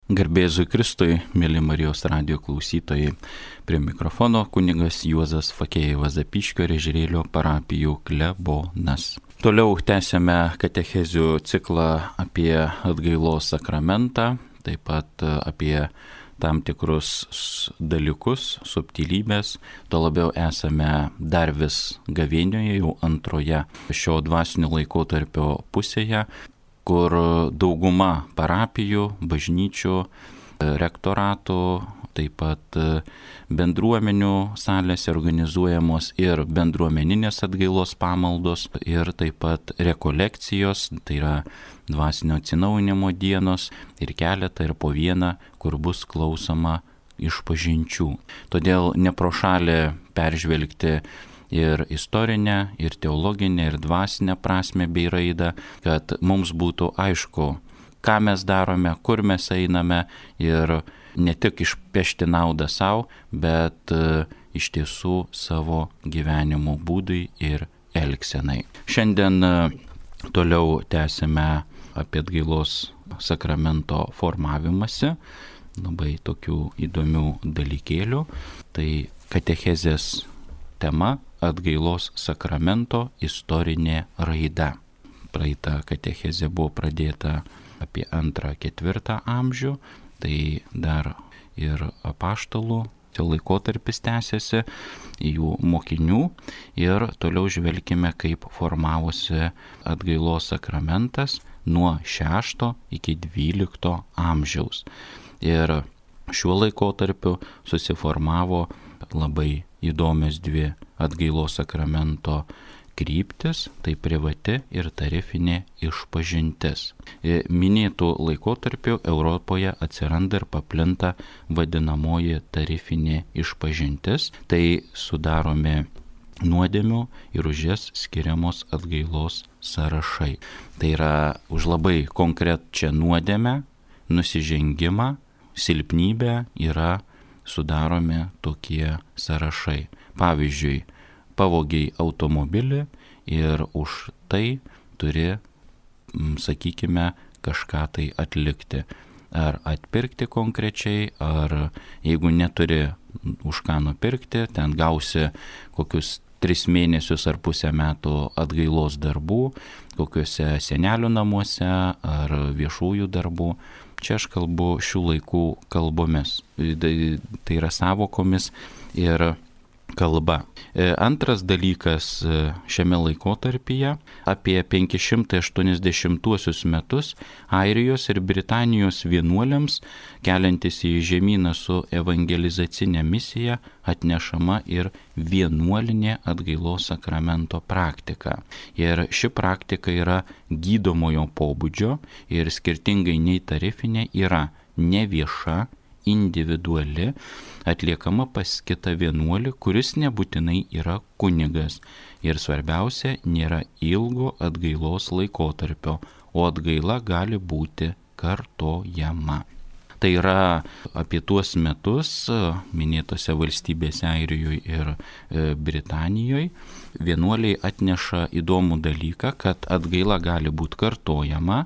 Garbėzui Kristui, mėly Marijos radijo klausytojai, prie mikrofono kunigas Juozas Fakėjevas Zapyškio ir Ežerėlio parapijų klebonas. Toliau tęsiame katechezių ciklą apie atgailos sakramentą, taip pat apie tam tikrus dalykus, subtilybės. Tuo labiau esame dar vis gavėnioje, jau antroje šio dvasinio laikotarpio pusėje, kur dauguma parapijų, bažnyčių, rektoratų, taip pat bendruomenių salėse organizuojamos ir bendruomeninės atgailos pamaldos, ir taip pat rekolekcijos, tai yra dvasinio atsinaujinimo dienos, ir keletą, ir po vieną, kur bus klausoma išpažinčių. Todėl ne pro šalį peržvelgti ir istorinę, ir teologinę, ir dvasinę prasme bei raidą, kad mums būtų aišku, ką mes darome, kur mes einame ir ne tik išpešti naudą savo, bet iš tiesų savo gyvenimo būdui ir elgsenai. Šiandien toliau tęsime apie atgailos sakramento formavimąsi, labai tokių įdomių dalykėlių. Tai katechezės tema atgailos sakramento istorinė raida. Praeita katechezė buvo pradėta apie 2-4 amžių, tai dar ir apaštalų laikotarpis tęsiasi, jų mokinių, ir toliau žvelgime, kaip formavosi atgailos sakramentas nuo 6 iki 12 amžiaus. Ir šiuo laikotarpiu susiformavo labai įdomios dvi atgailos sakramento kryptis, tai privati ir tarifinė išpažintis. Minėtų laikotarpių Europoje atsiranda ir paplinta vadinamoji tarifinė išpažintis, tai sudaromi nuodėmių ir už jas skiriamos atgailos sąrašai. Tai yra už labai konkrečią nuodėmę, nusižengimą, silpnybę yra sudaromi tokie sąrašai. Pavyzdžiui, pavogiai automobilį ir už tai turi, sakykime, kažką tai atlikti. Ar atpirkti konkrečiai, ar jeigu neturi už ką nupirkti, ten gausi kokius 3 mėnesius ar pusę metų atgailos darbų, kokiuose senelių namuose ar viešųjų darbų. Čia aš kalbu šių laikų kalbomis, tai yra sąvokomis ir kalba. Antras dalykas šiame laikotarpyje, apie 580 metus, Airijos ir Britanijos vienuoliams, keliantis į žemyną su evangelizacinė misija, atnešama ir vienuolinė atgailos sakramento praktika. Ir ši praktika yra gydomojo pobūdžio ir skirtingai nei tarifinė yra nevieša, individuali, atliekama pas kitą vienuolį, kuris nebūtinai yra kunigas. Ir svarbiausia, nėra ilgo atgailos laikotarpio, o atgaila gali būti kartojama. Tai yra apie tuos metus minėtose valstybėse Airijoje ir Britanijoje vienuoliai atneša įdomų dalyką, kad atgaila gali būti kartojama,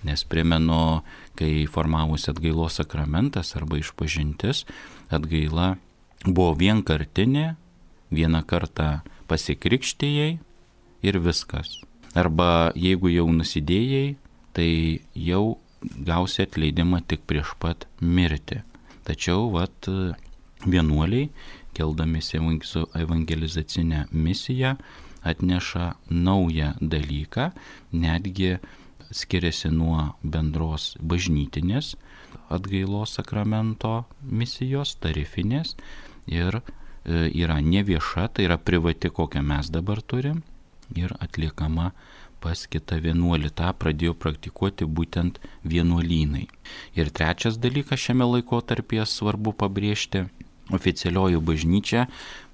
nes primenu, kai formavosi atgailos sakramentas arba išpažintis, atgaila buvo vienkartinė, vieną kartą pasikrikštijai ir viskas. Arba jeigu jau nusidėjai, tai jau gausi atleidimą tik prieš pat mirtį. Tačiau vienuoliai, keldamiesi su evangelizacinė misija, atneša naują dalyką, netgi skiriasi nuo bendros bažnytinės atgailos sakramento misijos, tarifinės, ir yra nevieša, tai yra privati, kokią mes dabar turim, ir atliekama pas kitą vienuolį. Ta pradėjo praktikuoti būtent vienuolynai. Ir trečias dalykas šiame laikotarpyje svarbu pabrėžti, oficialioji bažnyčia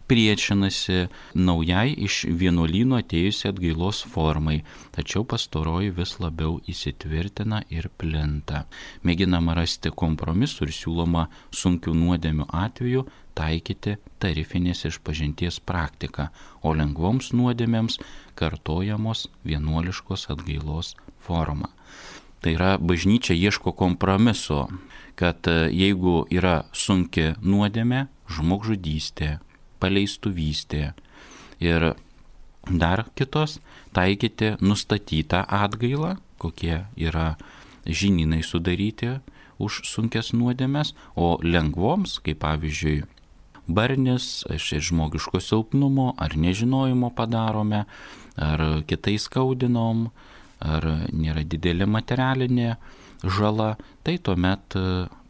priešinasi naujai iš vienuolyno atėjusi atgailos formai, tačiau pastaroji vis labiau įsitvirtina ir plinta. Mėginama rasti kompromisų ir siūloma sunkių nuodėmių atveju taikyti tarifinės išpažinties praktiką, o lengvoms nuodėmėms kartojamos vienuoliškos atgailos forma. Tai yra, bažnyčia ieško kompromiso, kad jeigu yra sunki nuodėmė, žmogžudystė, paleistuvystė ir dar kitos, taikyti nustatytą atgailą, kokie yra žinynai sudaryti už sunkes nuodėmes, o lengvoms, kaip pavyzdžiui, barnis, iš žmogiško silpnumo ar nežinojimo padarome, ar kitais skaudinom, ar nėra didelė materialinė žala, tai tuomet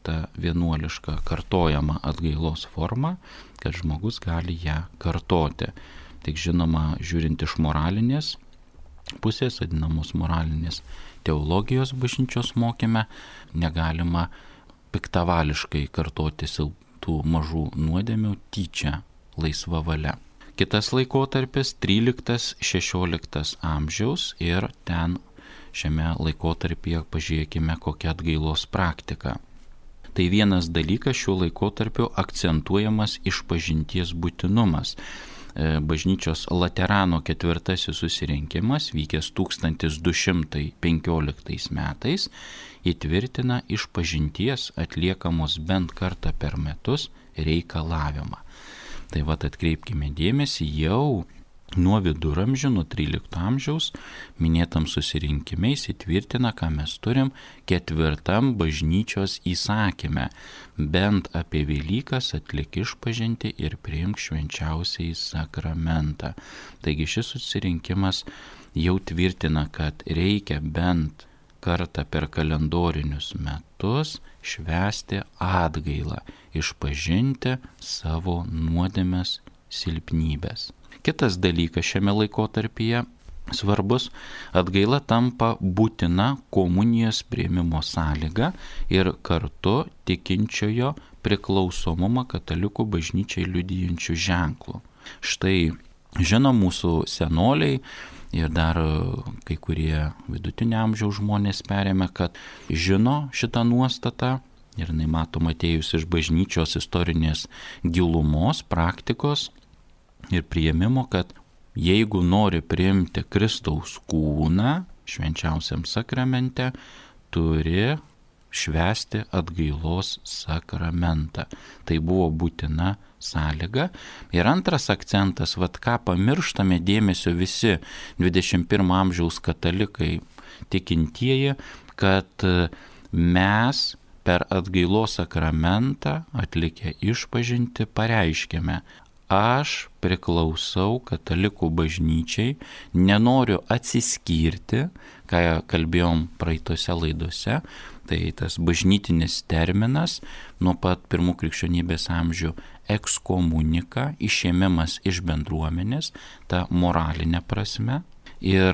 ta vienuoliška kartojama atgailos forma, kad žmogus gali ją kartoti. Tik žinoma, žiūrint iš moralinės pusės, vadinamos moralinės teologijos bažnyčios mokyme, negalima piktavališkai kartoti tų mažų nuodėmių tyčia, laisva valia. Kitas laikotarpis 13-16 amžiaus ir ten šiame laikotarpyje pažiūrėkime kokią atgailos praktiką. Tai vienas dalykas šiuo laikotarpiu akcentuojamas išpažinties būtinumas. Bažnyčios Laterano ketvirtasis susirinkimas, vykęs 1215 metais, įtvirtina išpažinties atliekamos bent kartą per metus reikalavimą. Tai vat atkreipkime dėmesį, jau nuo viduramžių, nuo 13 amžiaus minėtam susirinkime įsitvirtina, ką mes turim 4 bažnyčios įsakyme. Bent apie Velykas atlik išpažintį ir priimk švenčiausiąjį sakramentą. Taigi šis susirinkimas jau tvirtina, kad reikia bent kartą per kalendorinius metus švęsti atgailą, išpažinti savo nuodėmes, silpnybės. Kitas dalykas šiame laikotarpyje svarbus, atgaila tampa būtina komunijos priėmimo sąlyga ir kartu tikinčiojo priklausomumą katalikų bažnyčiai liudijančių ženklų. Štai žino mūsų senoliai ir dar kai kurie vidutinio amžiaus žmonės perėmė, kad žino šitą nuostatą ir jinai matoma atėjus iš bažnyčios istorinės gilumos, praktikos ir priėmimo, kad jeigu nori priimti Kristaus kūną švenčiausiam sakramente, turi švęsti atgailos sakramentą. Tai buvo būtina sąlyga. Ir antras akcentas, ką pamirštame dėmesio visi 21 amžiaus katalikai tikintieji, kad mes per atgailos sakramentą atlikę išpažintį pareiškėme: aš priklausau katalikų bažnyčiai, nenoriu atsiskirti, ką kalbėjom praeitose laidose, tai tas bažnytinis terminas nuo pat pirmų krikščionybės amžių ekskomunika, išėmimas iš bendruomenės, ta moralinė prasme, ir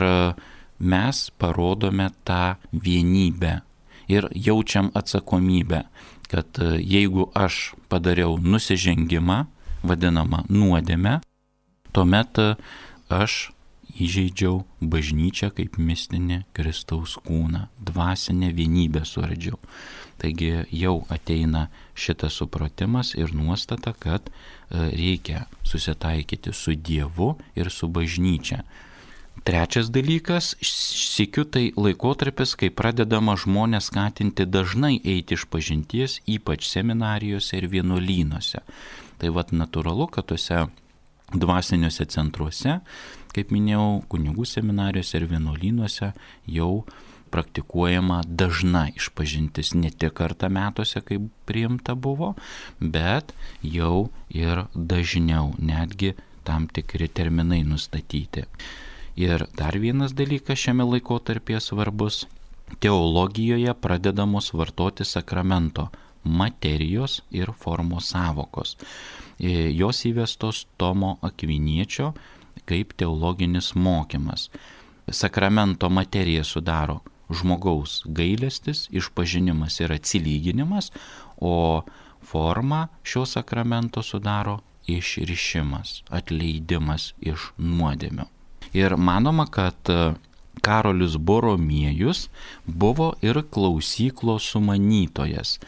mes parodome tą vienybę ir jaučiam atsakomybę, kad jeigu aš padariau nusižengimą, vadinamą nuodėmę, tuomet aš įžeidžiau bažnyčią kaip mistinį Kristaus kūną, dvasinę vienybę suardžiau. Taigi jau ateina šitas supratimas ir nuostata, kad reikia susitaikyti su Dievu ir su bažnyčia. Trečias dalykas, sykiu tai laikotarpis, kai pradedama žmonės skatinti dažnai eiti išpažinties, ypač seminarijose ir vienuolynuose. Tai natūralu, kad tuose dvasiniuose centruose, kaip minėjau, kunigų seminarijose ir vienuolynuose jau praktikuojama dažna išpažintis, ne tik kartą metuose, kaip priimta buvo, bet jau ir dažniau, netgi tam tikri terminai nustatyti. Ir dar vienas dalykas šiame laikotarpyje svarbus, teologijoje pradedamos vartoti sakramento materijos ir formos sąvokos. Jos įvestos Tomo Akviniečio kaip teologinis mokymas. Sakramento materiją sudaro žmogaus gailestis, išpažinimas ir atsilyginimas, o formą šio sakramento sudaro išrišimas, atleidimas iš nuodėmių. Ir manoma, kad Karolis Boromiejus buvo ir klausyklos sumanytojas.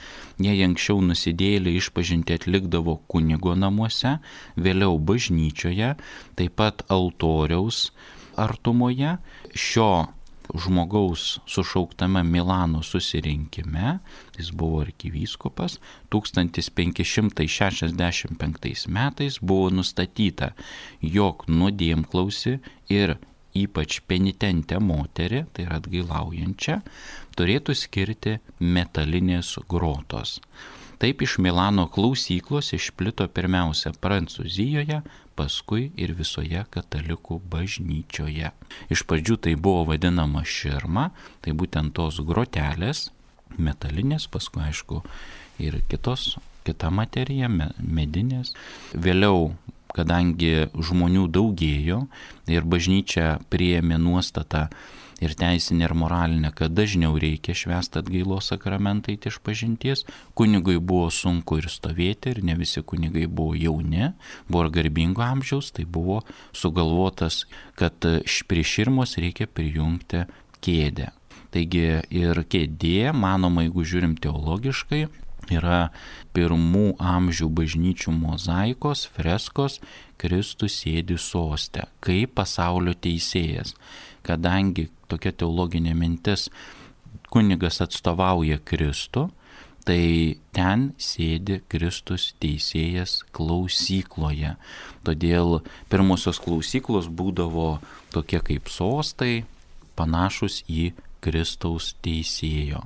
Jei anksčiau nusidėjėliai išpažintį atlikdavo kunigo namuose, vėliau bažnyčioje, taip pat altoriaus artumoje, šio žmogaus sušauktame Milano susirinkime, jis buvo arkivyskupas, 1565 metais buvo nustatyta, jog nuodėmklausį ir ypač penitentę moterį, tai yra atgailaujančią, turėtų skirti metalinės grotos. Taip iš Milano klausyklos išplito pirmiausia Prancūzijoje, paskui ir visoje katalikų bažnyčioje. Iš pradžių tai buvo vadinama širma, tai būtent tos grotelės, metalinės, paskui aišku ir kita materija, medinės. Vėliau, kadangi žmonių daugėjo ir bažnyčia priėmė nuostatą ir teisinė ir moralinė, kad dažniau reikia švęsti atgailos sakramentą eiti išpažinties, kunigui buvo sunku ir stovėti, ir ne visi kunigai buvo jauni, buvo ir garbingo amžiaus, tai buvo sugalvotas, kad prie širmos reikia prijungti kėdę. Taigi ir kėdė, manoma, jeigu žiūrim teologiškai, yra pirmų amžių bažnyčių mozaikos, freskos, Kristus sėdi soste, kaip pasaulio teisėjas. Kadangi tokia teologinė mintis, kunigas atstovauja Kristų, tai ten sėdi Kristus teisėjas klausykloje. Todėl pirmosios klausyklos būdavo tokie kaip sostai, panašus į Kristaus teisėjo,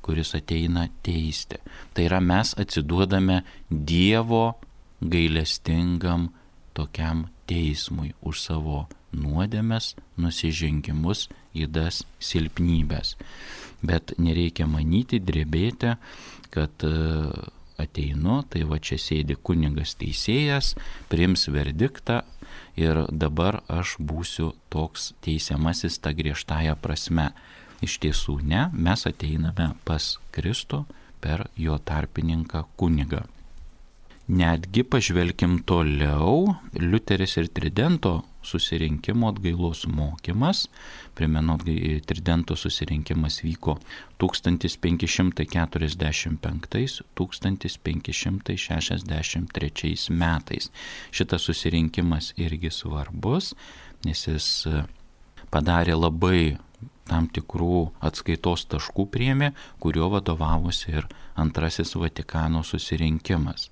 kuris ateina teisti. Tai yra mes atsiduodame Dievo gailestingam tokiam teismui už savo nuodėmes, nusižengimus, ydas, silpnybės. Bet nereikia manyti, drebėti, kad ateinu, tai va čia sėdi kunigas teisėjas, priims verdiktą ir dabar aš būsiu toks teisiamasis tą griežtąją prasme. Iš tiesų ne, mes ateiname pas Kristų per jo tarpininką kunigą. Netgi pažvelkim toliau, Liuteris ir Tridento susirinkimo atgailos mokymas. Primenu, Tridento susirinkimas vyko 1545-1563 metais. Šitas susirinkimas irgi svarbus, nes jis padarė labai tam tikrų atskaitos taškų priėmė, kurio vadovavosi ir Antrasis Vatikano susirinkimas.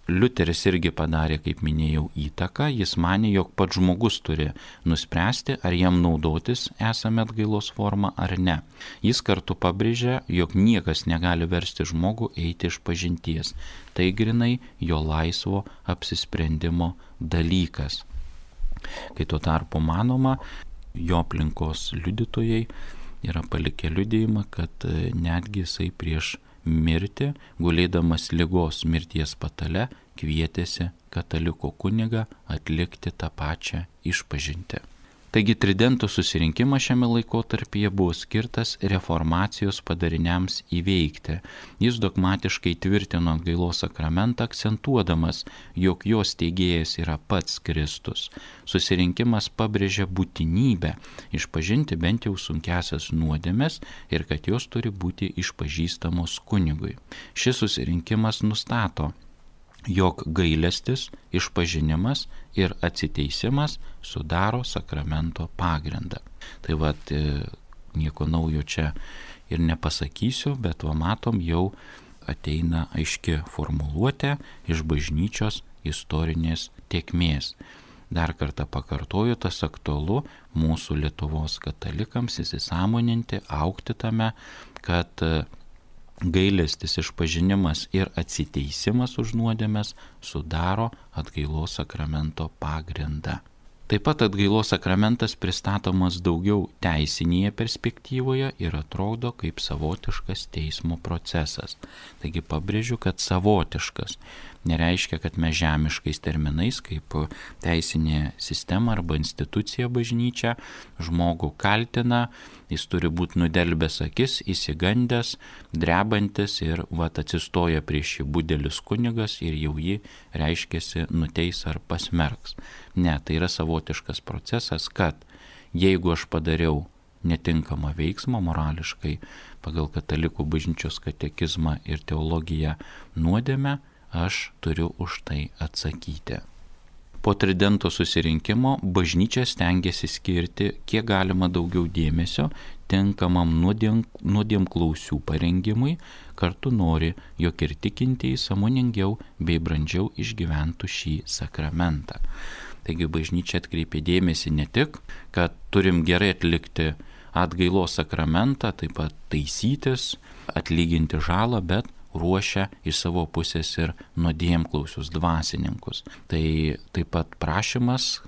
Liuteris irgi padarė, kaip minėjau, įtaką. Jis manė, jog pats žmogus turi nuspręsti, ar jam naudotis esame atgailos formą ar ne. Jis kartu pabrėžė, jog niekas negali versti žmogų eiti išpažinties. Tai grinai jo laisvo apsisprendimo dalykas. Kai tuo tarpu manoma, jo aplinkos liudytojai yra palikę liudijimą, kad netgi jisai prieš mirtį, gulėdamas ligos mirties patale, kvietėsi kataliko kunigą atlikti tą pačią išpažintį. Taigi Tridento susirinkimas šiame laikotarpyje buvo skirtas reformacijos padariniams įveikti. Jis dogmatiškai tvirtino atgailos sakramentą, akcentuodamas, jog jos teigėjas yra pats Kristus. Susirinkimas pabrėžia būtinybę išpažinti bent jau sunkiasias nuodėmes ir kad jos turi būti išpažįstamos kunigui. Šis susirinkimas nustato, jog gailestis, išpažinimas ir atsiteisimas sudaro sakramento pagrindą. Tai vat, nieko naujo čia ir nepasakysiu, bet va matom, jau ateina aiški formuluotė iš bažnyčios istorinės tėkmės. Dar kartą pakartoju, tas aktualu mūsų Lietuvos katalikams įsisąmoninti, augti tame, kad gailestis, išpažinimas ir atsiteisimas už nuodėmes sudaro atgailos sakramento pagrindą. Taip pat atgailos sakramentas pristatomas daugiau teisinėje perspektyvoje ir atrodo kaip savotiškas teismo procesas. Taigi pabrėžiu, kad savotiškas nereiškia, kad mes žemiškais terminais kaip teisinė sistema arba institucija bažnyčia žmogų kaltina, jis turi būti nudelbęs akis, įsigandęs, drebantis ir atsistoja prieš jį budelis kunigas ir jau jį reiškiasi nuteis ar pasmerks. Ne, tai yra savotiškas procesas, kad jeigu aš padariau netinkamą veiksmą morališkai pagal katalikų bažnyčios katekizmą ir teologiją nuodėmę, aš turiu už tai atsakyti. Po tridento susirinkimo bažnyčia stengiasi skirti kiek galima daugiau dėmesio tinkamam nuodėmklausių parengimui, kartu nori, jog ir tikintieji sąmoningiau bei brandžiau išgyventų šį sakramentą. Taigi bažnyčia atkreipė dėmesį ne tik, kad turim gerai atlikti atgailos sakramentą, taip pat taisytis, atlyginti žalą, bet ruošia iš savo pusės ir nuodėmklausius dvasininkus. Tai taip pat prašymas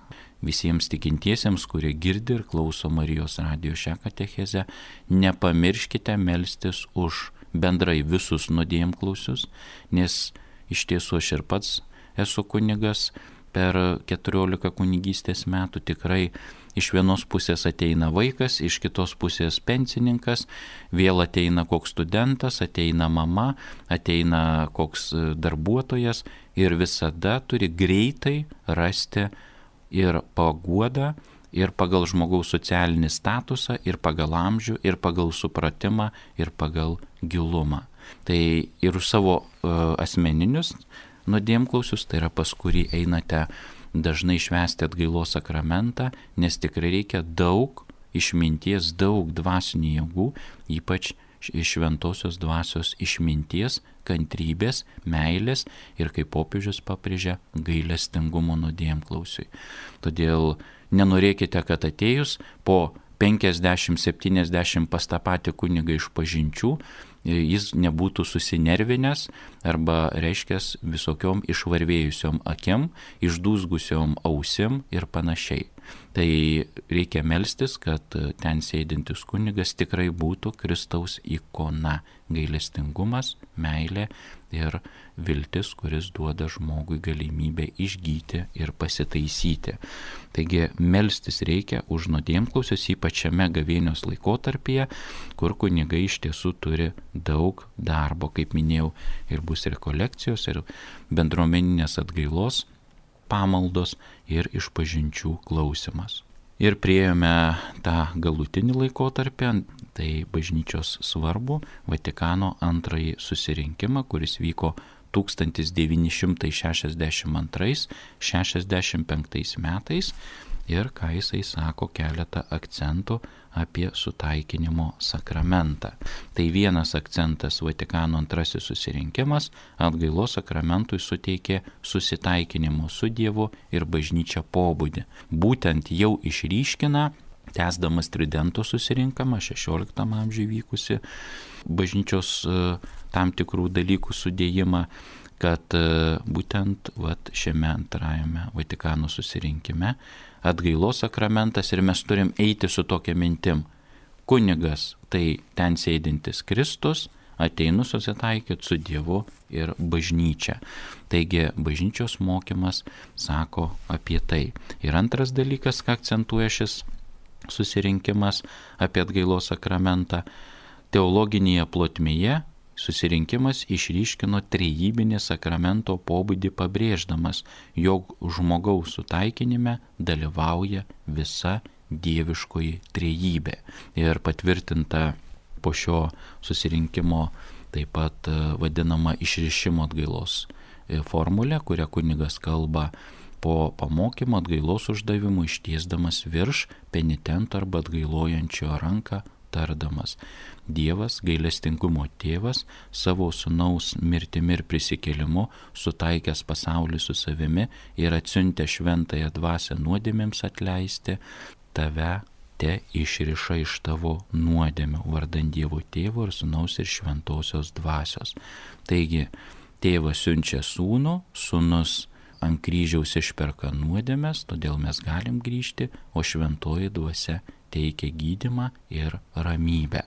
visiems tikintiesiems, kurie girdi ir klauso Marijos radijo šią katechezę, nepamirškite melstis už bendrai visus nuodėmklausius, nes iš tiesų aš ir pats esu kunigas, per 14 kunigystės metų tikrai iš vienos pusės ateina vaikas, iš kitos pusės pensininkas, vėl ateina koks studentas, ateina mama, ateina koks darbuotojas ir visada turi greitai rasti ir paguodą, ir pagal žmogaus socialinį statusą, ir pagal amžių, ir pagal supratimą, ir pagal gilumą. Tai ir už savo asmeninius nuodėmklausius, tai yra pas kurį einate dažnai švęsti atgailos sakramentą, nes tikrai reikia daug išminties, daug dvasinių jėgų, ypač šventosios dvasios išminties, kantrybės, meilės ir, kaip popiežius pabrėžia, gailestingumo nuodėmklausiui. Todėl nenorėkite, kad atėjus po 50-70 pas tą patį kunigą išpažinčių, jis nebūtų susinervinęs arba, reiškia, visokiom išvarvėjusiom akim, išdūzgusiom ausim ir panašiai. Tai reikia melstis, kad ten sėdintis kunigas tikrai būtų Kristaus ikona, gailestingumas, meilė ir viltis, kuris duoda žmogui galimybę išgyti ir pasitaisyti. Taigi melstis reikia už nuodėmklausius, ypač šiame gavėnios laikotarpyje, kur kunigai iš tiesų turi daug darbo, kaip minėjau, ir bus rekolekcijos, ir bendruomeninės atgailos pamaldos ir išpažinčių klausimas. Ir priėjome tą galutinį laikotarpį, tai bažnyčios svarbų Vatikano antrąjį susirinkimą, kuris vyko 1962-65 metais ir, ką jisai sako, keletą akcentų apie sutaikinimo sakramentą. Tai vienas akcentas — Vatikano antrasis susirinkimas atgailos sakramentui suteikė susitaikinimo su Dievu ir bažnyčia pobūdį. Būtent jau išryškina, tęsdamas tridento susirinkimą 16 amžiuje vykusi bažnyčios tam tikrų dalykų sudėjimą, kad būtent šiame antrajame Vatikano susirinkime atgailos sakramentas ir mes turim eiti su tokia mintim. Kunigas tai ten sėdintis Kristus, ateinu susitaikyti su Dievu ir bažnyčia. Taigi bažnyčios mokymas sako apie tai. Ir antras dalykas, ką akcentuoja šis susirinkimas apie atgailos sakramentą, teologinėje plotmėje susirinkimas išryškino trejybinį sakramento pobūdį, pabrėždamas, jog žmogaus sutaikinime dalyvauja visa dieviškoji trejybė. Ir patvirtinta po šio susirinkimo taip pat vadinama išrišimo atgailos formulė, kurią kunigas kalba po pamokymo atgailos uždavimų, ištiesdamas virš penitento arba atgailojančio ranką, tardamas: Dievas, gailestingumo tėvas, savo sūnaus mirtimi ir prisikėlimu sutaikęs pasaulį su savimi ir atsiuntė šventąją dvasią nuodėmėms atleisti, tave te išriša iš tavo nuodėmių, vardan Dievo tėvo ir sūnaus ir šventosios dvasios. Taigi, tėvas siunčia sūnų, sūnus ant kryžiaus išperka nuodėmės, todėl mes galim grįžti, o šventoji dvasia teikia gydymą ir ramybę.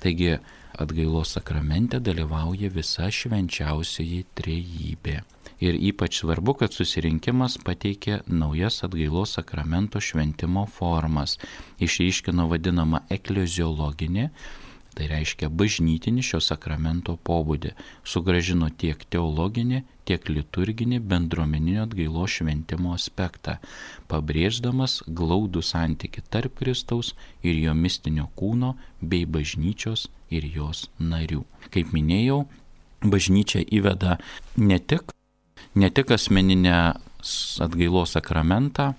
Taigi atgailos sakramente dalyvauja visa švenčiausioji trejybė. Ir ypač svarbu, kad susirinkimas pateikė naujas atgailos sakramento šventimo formas. Išryškino vadinamą ekleziologinį, tai reiškia bažnytinį šio sakramento pobūdį, sugrąžino tiek teologinį, tiek liturginį bendruomeninio atgailos šventimo aspektą, pabrėždamas glaudų santykį tarp Kristaus ir jo mistinio kūno bei bažnyčios ir jos narių. Kaip minėjau, bažnyčia įveda ne tik asmeninę atgailos sakramentą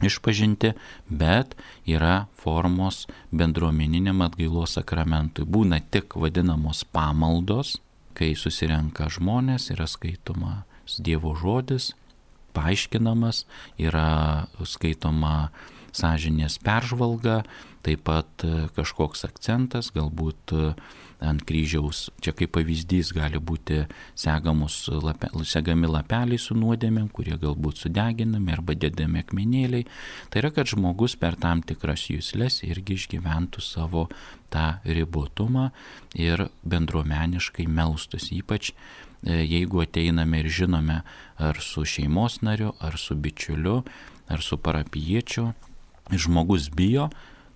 išpažinti, bet yra formos bendruomeniniam atgailos sakramentui. Būna tik vadinamos pamaldos, kai susirenka žmonės, yra skaitomas Dievo žodis, paaiškinamas, yra skaitoma sąžinės peržvalga, taip pat kažkoks akcentas, galbūt ant kryžiaus, čia kaip pavyzdys gali būti segami lapeliai su nuodėmėm, kurie galbūt sudeginami arba dedami akmenėliai. Tai yra, kad žmogus per tam tikras juslės irgi išgyventų savo tą ribotumą ir bendruomeniškai melstųsi, ypač jeigu ateiname ir žinome ar su šeimos nariu, ar su bičiuliu, ar su parapijiečiu, žmogus bijo,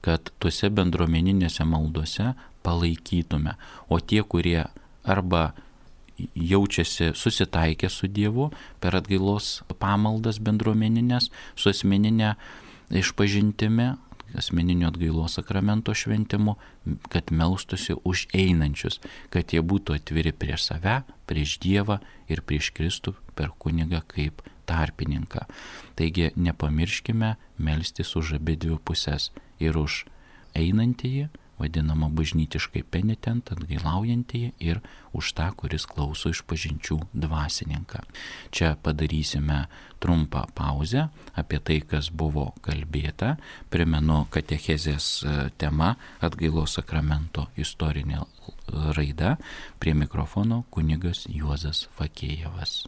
kad tuose bendruomeninėse maldose palaikytume. O tie, kurie arba jaučiasi susitaikę su Dievu per atgailos pamaldas bendruomeninės, su asmeninė išpažintimi, asmeninio atgailos sakramento šventimu, kad melstųsi už einančius, kad jie būtų atviri prieš save, prieš Dievą ir prieš Kristų per kunigą kaip tarpininką. Taigi nepamirškime melstis už abi dvi pusės, ir už einantįjį, vadinamą bažnytiškai penitentą, atgailaujantįjį, ir už tą, kuris klauso išpažinčių dvasininką. Čia padarysime trumpą pauzę apie tai, kas buvo kalbėta. Primenu, katechezės tema atgailos sakramento istorinė raida. Prie mikrofono kunigas Juozas Fakėjevas.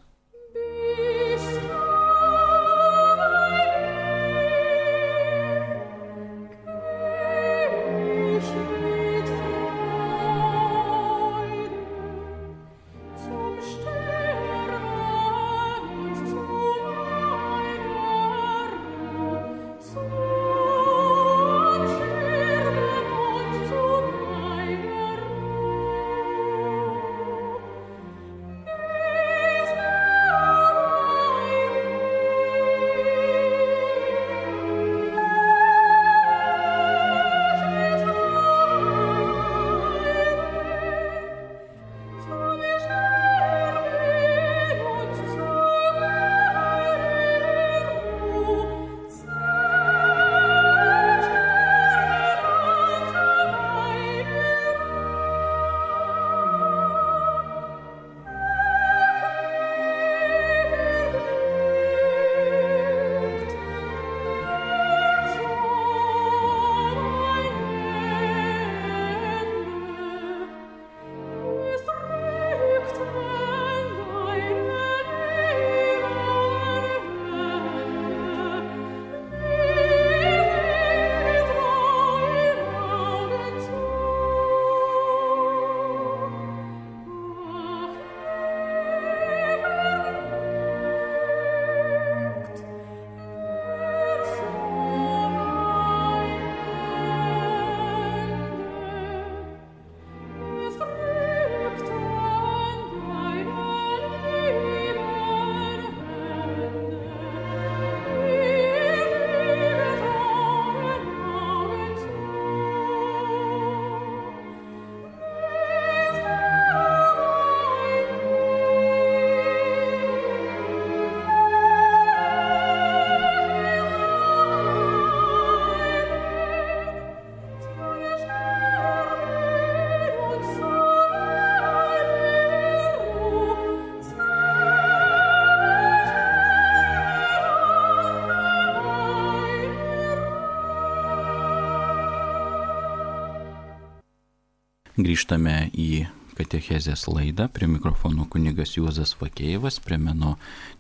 Grįžtame į katechezės laidą. Prie mikrofono kunigas Juozas Fakėjevas. Primenu,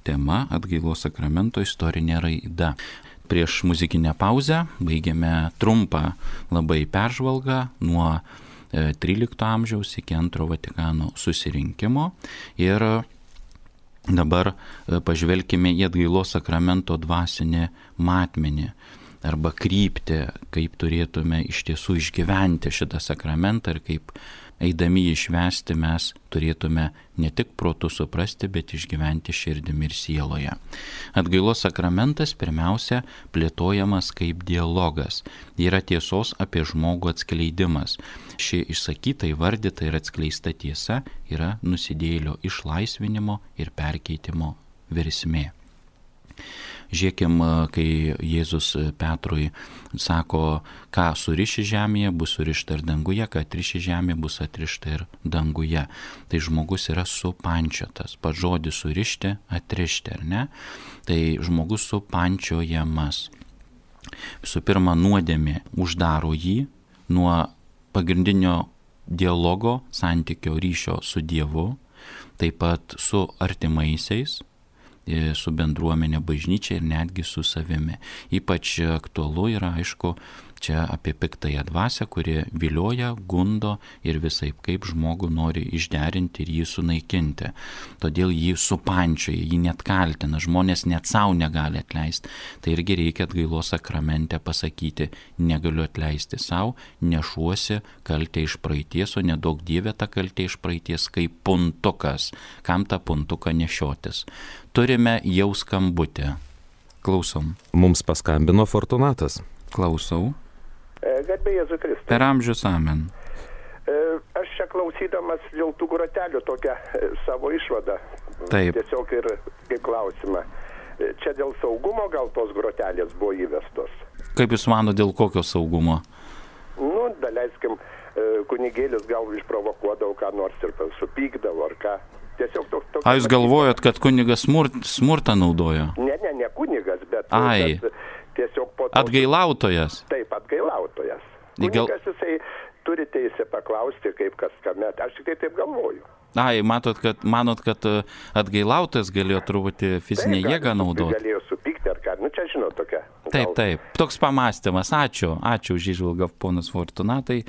tema atgailos sakramento istorinė raida. Prieš muzikinę pauzę baigėme trumpą labai peržvalgą nuo 13 amžiaus iki Antro Vatikano susirinkimo. Ir dabar pažvelkime į atgailos sakramento dvasinį matmenį arba kryptį, kaip turėtume iš tiesų išgyventi šitą sakramentą ir kaip eidami jį švęsti mes turėtume ne tik protu suprasti, bet išgyventi širdimi ir sieloje. Atgailos sakramentas pirmiausia plėtojamas kaip dialogas. Yra tiesos apie žmogų atskleidimas. Ši išsakyta, įvardyta ir atskleista tiesa yra nusidėjėlio išlaisvinimo ir perkeitimo versmė. Žiūrėkim, kai Jėzus Petrui sako, ką suriši žemėje, bus surišta ir danguje, ką atriši žemėje, bus atrišta ir danguje. Tai žmogus yra supančiotas. Pats žodis surišti, atrišti, ar ne? Tai žmogus supančiojamas. Visų pirma, nuodėmė uždaro jį nuo pagrindinio dialogo, santykio, ryšio su Dievu, taip pat su artimaisiais, su bendruomenė, bažnyčia ir netgi su savimi. Ypač aktualu yra, aišku, čia apie piktąją dvasią, kuri vilioja, gundo ir visaip kaip žmogų nori išderinti ir jį sunaikinti. Todėl jį supančioja, jį net kaltina, žmonės net savo negali atleisti. Tai irgi reikia atgailos sakramente pasakyti, negaliu atleisti savo, nešuosi kaltę iš praeities, o nedaug Dieve tą kaltę iš praeities kaip puntukas. Kam tą puntuką nešiotis? Turime jau skambutį. Klausom. Mums paskambino Fortunatas. Klausau. Garbė Jėzui Kristui. Per amžius amen. Aš čia klausydamas dėl tų grotelių tokią savo išvadą. Taip. Tiesiog ir kaip klausimą. Čia dėl saugumo gal tos grotelės buvo įvestos? Kaip Jūs mano, dėl kokio saugumo? Daleiskim, kunigėlis gal išprovokuodavo ką nors ir supykdavo ar ką. Tiesiog toks. Jūs galvojat, kad kunigas smurtą naudojo? Ne kunigas, bet tiesiog po to. Atgailautojas? Taip, atgailautojas. Kunigas jisai turi teisę paklausti, kaip kas kame. Aš tik taip galvoju. Manot, kad atgailautojas galėjo truputį fizinę jėgą naudoti? Galėjo supykti ar ką. Čia žinot tokia. Taip. Toks pamąstymas. Ačiū už įžvalgą, ponas Fortunatai.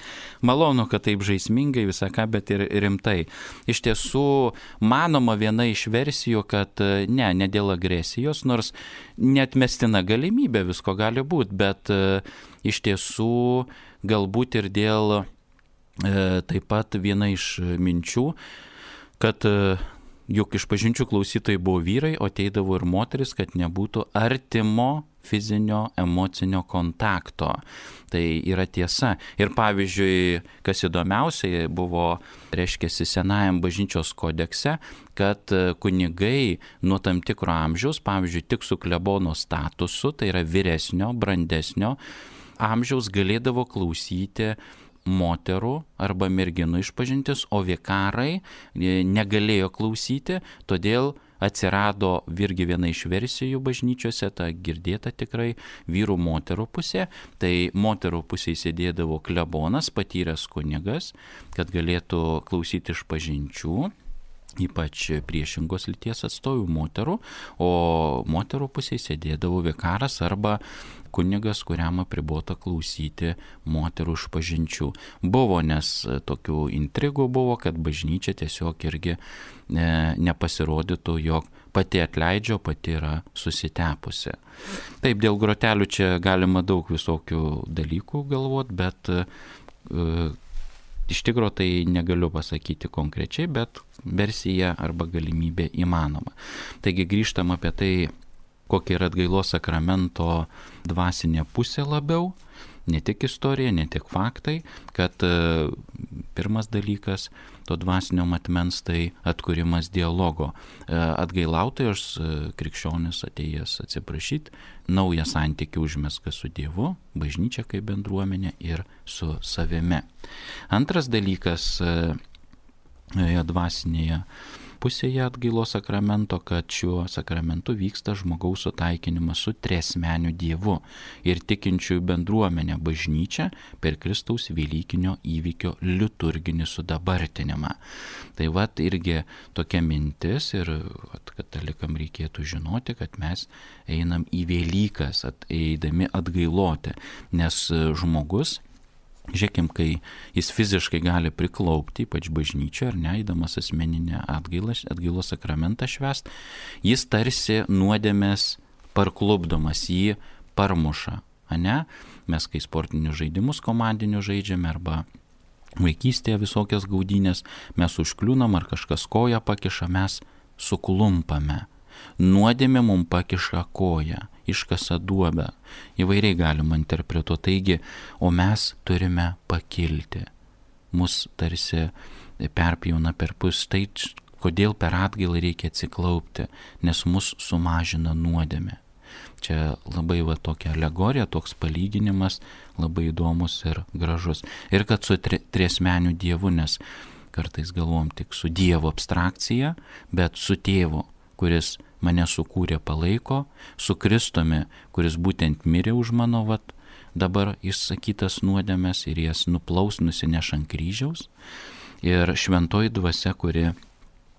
Malonu, kad taip žaismingai viską, bet ir rimtai. Iš tiesų, manoma viena iš versijų, kad ne dėl agresijos, nors neatmestina galimybė visko gali būti, bet iš tiesų galbūt ir dėl taip pat viena iš minčių, kad juk išpažinčių klausytojai buvo vyrai, o ateidavo ir moteris, kad nebūtų artimo fizinio, emocinio kontakto. Tai yra tiesa. Ir pavyzdžiui, kas įdomiausiai buvo, reiškiasi, senajam bažnyčios kodekse, kad kunigai nuo tam tikro amžiaus, pavyzdžiui, tik su klebono statusu, tai yra vyresnio, brandesnio amžiaus, galėdavo klausyti moterų arba merginų išpažintis, o vikarai negalėjo klausyti, todėl atsirado irgi viena iš versijų bažnyčiose, ta girdėta tikrai vyrų moterų pusė, tai moterų pusėje sėdėdavo klebonas, patyręs kunigas, kad galėtų klausyti išpažinčių, ypač priešingos lyties atstovų moterų, o moterų pusėje sėdėdavo vikaras arba kunigas, kuriam apribota klausyti moterų išpažinčių. Buvo, nes tokių intrigų buvo, kad bažnyčia tiesiog irgi nepasirodytų, jog pati atleidžia, pati yra susitepusi. Taip, dėl grotelių čia galima daug visokių dalykų galvoti, bet iš tikrųjų tai negaliu pasakyti konkrečiai, bet versija arba galimybė įmanoma. Taigi grįžtam apie tai, kokia yra atgailos sakramento dvasinė pusė labiau, ne tik istorija, ne tik faktai, kad pirmas dalykas to dvasinio matmens tai atkūrimas dialogo. Atgailautojas krikščionis atėjęs atsiprašyti, naują santykį užmezga su Dievu, bažnyčia kaip bendruomenė ir su savimi. Antras dalykas dvasinėje pusėje atgailos sakramento, kad šiuo sakramentu vyksta žmogaus sutaikinimas su triasmeniu Dievu ir tikinčiųjų bendruomenė bažnyčia per Kristaus Velykinio įvykio liturginį sudabartinimą. Tai vat irgi tokia mintis ir katalikam reikėtų žinoti, kad mes einam į Velykas, eidami atgailoti, nes žmogus, žiūrėkim, kai jis fiziškai gali priklaupti, ypač bažnyčioje, ar neįdamas asmeninę atgailos sakramentą švęst, jis tarsi nuodėmės parklupdomas, jį parmuša, ane? Mes kai sportinius žaidimus komandinius žaidžiame arba vaikystėje visokias gaudynės, mes užkliūnam ar kažkas koją pakiša, mes suklumpame. Nuodėmė mums pakiša koją, iškasa duobę, įvairiai galima interpretuoti, taigi, o mes turime pakilti. Mus tarsi perpjauna per pus, tai Kodėl per atgailą reikia atsiklaupti? Nes mus sumažina nuodėmė. Čia labai tokia alegorija, toks palyginimas, labai įdomus ir gražus. Ir kad su triasmeniu Dievu, nes kartais galvom tik su Dievo abstrakcija, bet su Tėvu, kuris mane sukūrė, palaiko, su Kristumi, kuris būtent mirė už mano dabar išsakytas nuodėmes ir jas nuplaus, nusineš ant kryžiaus. Ir šventoji dvasia, kuri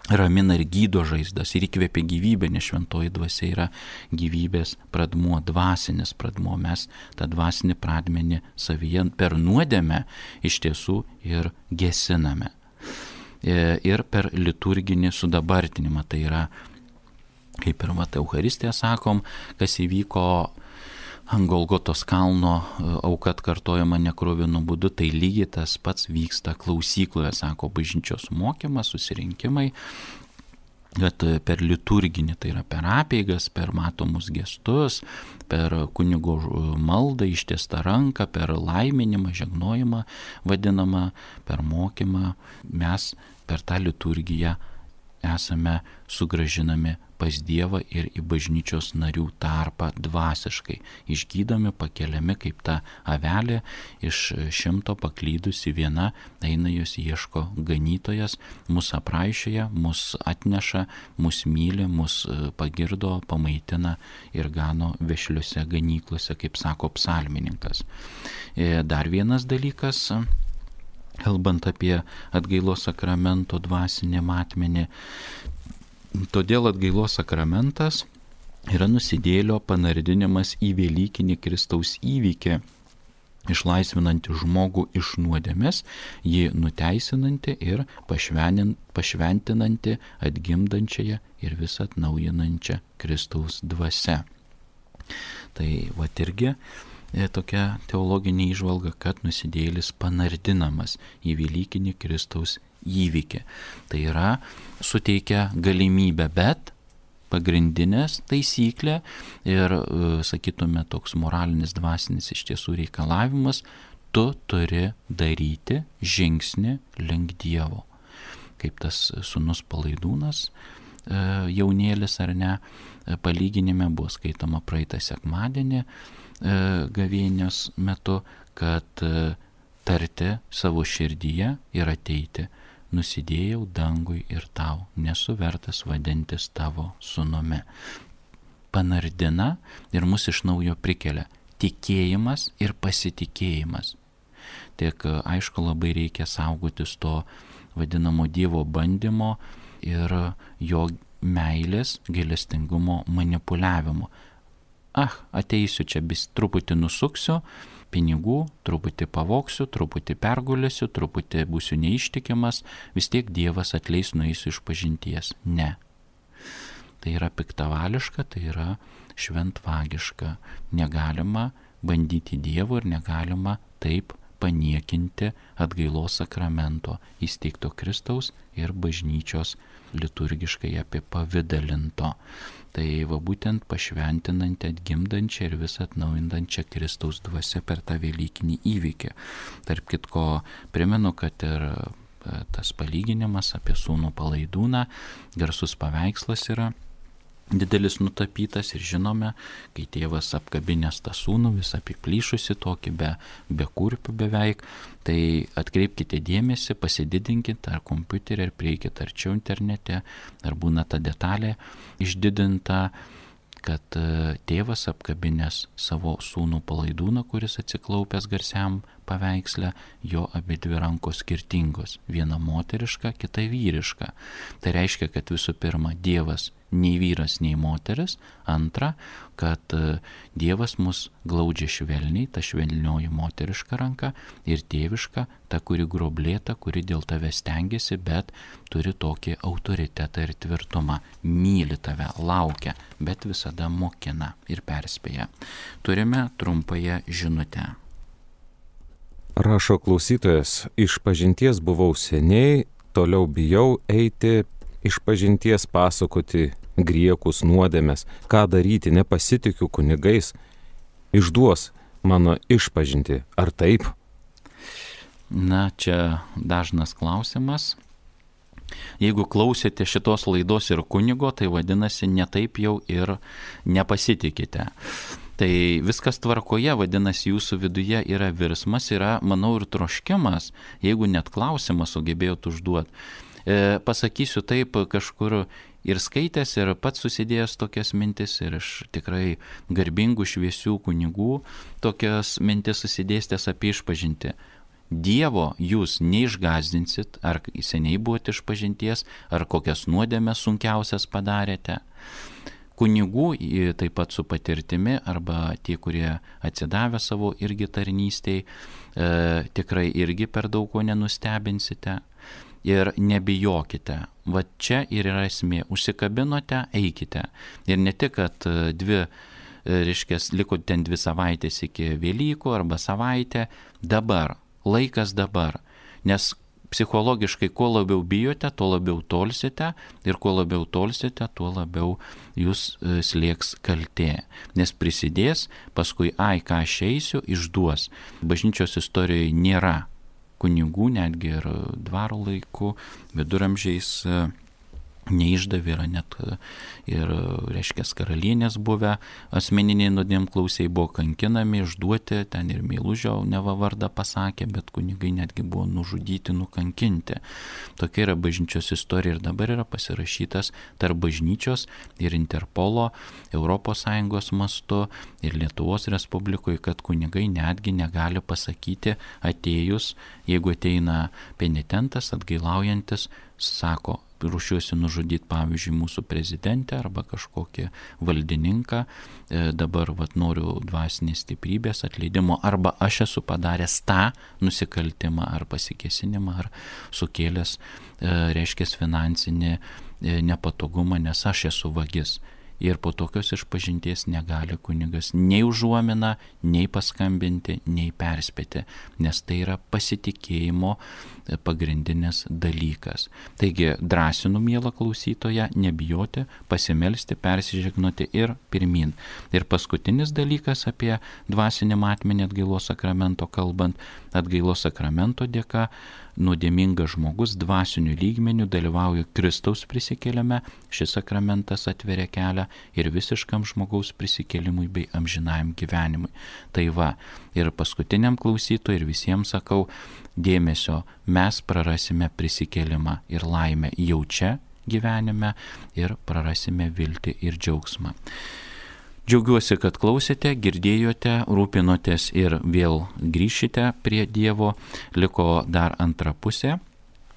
ramina ir gydo žaizdas ir įkvėpia gyvybę, nes šventoji dvasia yra gyvybės pradmuo, dvasinis pradmuo. Mes tą dvasinį pradmenį savyje per nuodėmę iš tiesų ir gesiname. Ir per liturginį sudabartinimą, tai yra, kaip ir Eucharistiją sakom, kas įvyko ant Golgotos kalno, auka atkartojama nekruvinu būdu, tai lygiai tas pats vyksta klausykloje, sako bažnyčios mokymas, susirinkimai, kad per liturginį, tai yra per apeigas, per matomus gestus, per kunigo maldą, ištiestą ranką, per laiminimą, žegnojimą vadinamą, per mokymą, mes per tą liturgiją esame sugrąžinami pas Dievą ir į bažnyčios narių tarpą dvasiškai, išgydomi, pakeliami kaip ta avelė iš 100 paklydusi viena, eina jos ieško ganytojas, mus apraišėja, mus atneša, mus myli, mus pagirdo, pamaitina ir gano vešliuose ganyklose, kaip sako psalmininkas. Dar vienas dalykas, kalbant apie atgailos sakramento dvasinį matmenį, todėl atgailos sakramentas yra nusidėjėlio panardinimas į velykinį Kristaus įvykį, išlaisvinantį žmogų iš nuodėmės, jį nuteisinantį ir pašventinantį atgimdančiąją ir vis atnaujinančią Kristaus dvasią. Tai irgi tokia teologinė įžvalga, kad nusidėjėlis panardinamas į velykinį Kristaus įvykį. Tai yra suteikia galimybę, bet pagrindinės taisyklė ir, sakytume, toks moralinis dvasinis iš tiesų reikalavimas, tu turi daryti žingsnį link Dievo. Kaip tas sūnus Palaidūnas, jaunėlis ar ne, palyginime buvo skaitoma praeitą sekmadienį gavėnios metu, kad tarti savo širdyje ir ateiti, nusidėjau dangui ir tau, nesu vertas vadintis tavo sūnumi. Panardina ir mus iš naujo prikelia tikėjimas ir pasitikėjimas. Tik aišku, labai reikia saugotis to vadinamo Dievo bandymo ir jo meilės, gailestingumo manipuliavimo. Ateisiu čia, truputį nusuksiu pinigų, truputį pavoksiu, truputį pergulėsiu, truputį būsiu neištikimas, vis tiek Dievas atleis, nueisiu iš pažinties. Ne. Tai yra piktavališka, tai yra šventvagiška. Negalima bandyti Dievo ir negalima taip paniekinti atgailos sakramento įsteigto Kristaus ir bažnyčios liturgiškai apipavidalinto. Tai būtent pašventinanti, atgimdančią ir vis atnaujindančią Kristaus dvasią per tą velykinį įvykį. Tarp kitko, primenu, kad ir tas palyginimas apie sūnų Palaidūną, garsus paveikslas yra didelis nutapytas ir žinome, kai tėvas apkabinęs tą sūnų, vis apiplyšusi tokį be kurpių beveik, tai atkreipkite dėmesį, pasididinkite ar kompiuterį, ar prieikite arčiau internete, ar būna ta detalė išdidinta, kad tėvas apkabinęs savo sūnų Palaidūną, kuris atsiklaupęs garsiam paveiksle, jo abidvi rankos skirtingos, viena moteriška, kita vyriška. Tai reiškia, kad visų pirma, Dievas nei vyras, nei moteris. Antra, kad Dievas mus glaudžia švelniai, ta švelnioji moteriška ranka, ir tėviška, ta, kuri groblėta, kuri dėl tave stengiasi, bet turi tokį autoritetą ir tvirtumą. Myli tave, laukia, bet visada mokina ir perspėja. Turime trumpąją žinutę. Rašo klausytojas, išpažinties buvau seniai, toliau bijau eiti, išpažinties pasakoti griekus, nuodėmes, ką daryti, nepasitikiu kunigais, išduos mano išpažinti, ar taip? Na, čia dažnas klausimas, Jeigu klausėte šitos laidos ir kunigo, tai vadinasi, netaip jau ir nepasitikite. Tai viskas tvarkoje, vadinasi, jūsų viduje yra virsmas, yra, manau, ir troškimas, jeigu net klausimą sugebėjot užduoti. Pasakysiu taip, kažkur ir skaitęs, ir pats susidėjęs tokias mintis, ir iš tikrai garbingų, šviesių kunigų tokias mintis susidėstęs apie išpažintį. Dievo jūs neišgazdinsit, ar seniai buvote išpažinties, ar kokias nuodėmes sunkiausias padarėte. Kunigų, taip pat su patirtimi, arba tie, kurie atsidavę savo irgi tarnystėj, tikrai irgi per daug ko nenustebinsite. Ir nebijokite. Va čia ir yra esmė. Užsikabinote, eikite. Ir ne tik, kad liko ten 2 savaitės iki Velykų arba savaitę, dabar. Laikas dabar, nes psichologiškai kuo labiau bijote, tuo labiau tolsite ir kuo labiau tolsite, tuo labiau jūs slėgs kaltė, nes prisidės, paskui ką aš eisiu, išduos. Bažnyčios istorijoje nėra kunigų, netgi ir dvaro laikų, viduramžiais neišdavė, yra net ir, reiškia, karalienės buvę asmeniniai nuodėmklausiai buvo kankinami, išduoti, ten ir Meilužio neva vardą pasakė, bet kunigai netgi buvo nužudyti, nukankinti. Tokia yra bažnyčios istorija ir dabar yra pasirašytas tarp bažnyčios ir Interpolo ES mastu ir Lietuvos Respublikoje, kad kunigai netgi negali pasakyti atėjus, jeigu ateina penitentas, atgailaujantis, sako, ruošiuosi nužudyti, pavyzdžiui, mūsų prezidentę arba kažkokį valdininką, dabar noriu dvasinės stiprybės, atleidimo, arba aš esu padaręs tą nusikaltimą ar pasikėsinimą, ar sukėlęs, reiškia, finansinį nepatogumą, nes aš esu vagis. Ir po tokios išpažinties negali kunigas nei užuomina, nei paskambinti, nei perspėti, nes tai yra pasitikėjimo pagrindinis dalykas. Taigi drąsinu, mielą klausytoją, nebijoti, pasimelsti, persižegnoti ir pirmin. Ir paskutinis dalykas apie dvasinį matmenį atgailos sakramento kalbant, atgailos sakramento dėka nuodėmingas žmogus dvasiniu lygmeniu dalyvauja Kristaus prisikėlime, šis sakramentas atveria kelią ir visiškam žmogaus prisikėlimui bei amžinajam gyvenimui. Tai va, ir paskutiniam klausytojui ir visiems sakau, dėmesio, mes prarasime prisikėlimą ir laimę jau čia gyvenime ir prarasime viltį ir džiaugsmą. Džiaugiuosi, kad klausėte, girdėjote, rūpinotės ir vėl grįšite prie Dievo. Liko dar antra pusė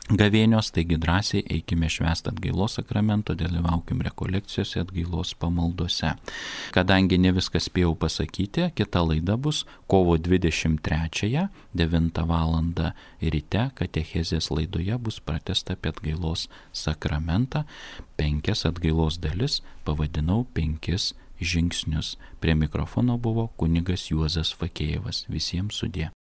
gavėnios, taigi drąsiai eikime švęsti atgailos sakramento, dalyvaukim rekolekcijose, atgailos pamaldose. Kadangi ne viską spėjau pasakyti, kita laida bus kovo 23, 9 val. Ryte, katechezės laidoje bus pratęsta apie atgailos sakramentą. 5 atgailos dalis pavadinau 5 žingsnius. Prie mikrofono buvo kunigas Juozas Fakėjevas. Visiems sudie.